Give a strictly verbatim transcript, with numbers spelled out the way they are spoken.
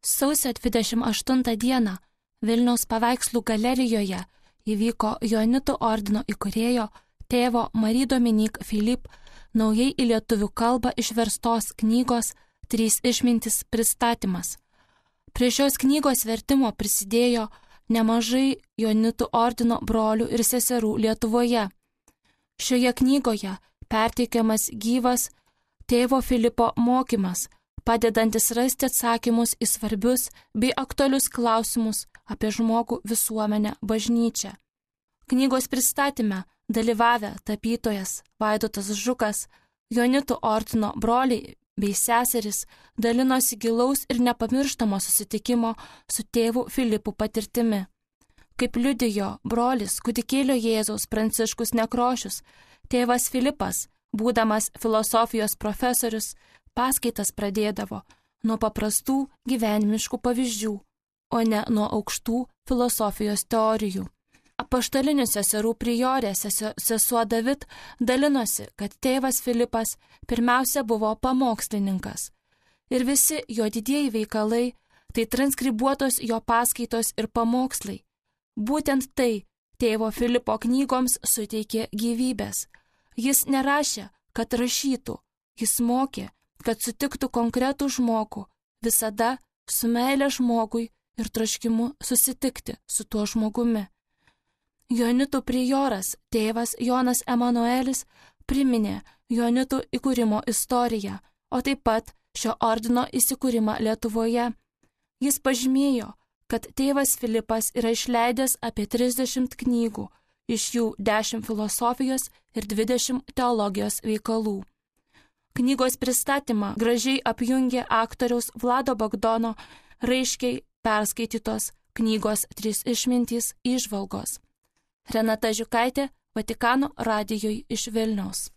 Sausio dvidešimt aštuntą dieną Vilniaus paveikslų galerijoje įvyko Joanitų ordino įkūrėjo tėvo Marie Dominique Philippe naujai į lietuvių kalbą išverstos knygos Trys išmintys pristatymas. Prie šios knygos vertimo prisidėjo nemažai Joanitų ordino brolių ir seserų Lietuvoje. Šioje knygoje perteikiamas gyvas tėvo Filipo mokymas, padedantis rasti atsakymus į svarbius bei aktualius klausimus apie žmogų, visuomenę, bažnyčią. Knygos pristatyme dalyvavę tapytojas Vaidotas Žukas, Joanitų ordino broliai bei seserys dalinosi gilaus ir nepamirštamo susitikimo su tėvu Filipu patirtimi. Kaip liudijo brolis kūdikėlio Jėzaus Pranciškus Nekrošius, tėvas Filipas, būdamas filosofijos profesorius, paskaitas pradėdavo nuo paprastų gyvenimiškų pavyzdžių, o ne nuo aukštų filosofijos teorijų. Apaštalinių seserų priorė sesuo David dalinosi, kad tėvas Filipas pirmiausia buvo pamokslininkas. Ir visi jo didieji veikalai tai transkribuotos jo paskaitos ir pamokslai. Būtent tai tėvo Filipo knygoms suteikė gyvybės. Jis nerašė, kad rašytų, jis mokė, kad sutiktų konkretų žmogų, visada su meile žmogui ir troškimu susitikti su tuo žmogumi. Joanitų prioras tėvas Jonas Emanuelis priminė Joanitų įkūrimo istoriją, o taip pat šio ordino įsikūrimą Lietuvoje. Jis pažymėjo, kad tėvas Filipas yra išleidęs apie trisdešimt knygų, iš jų dešimt filosofijos ir dvidešimt teologijos veikalų. Knygos pristatymą gražiai apjungė aktoriaus Vlado Bagdono raiškiai perskaitytos knygos Trys išmintys įžvalgos. Renata Žiukaitė, Vatikano radijui iš Vilniaus.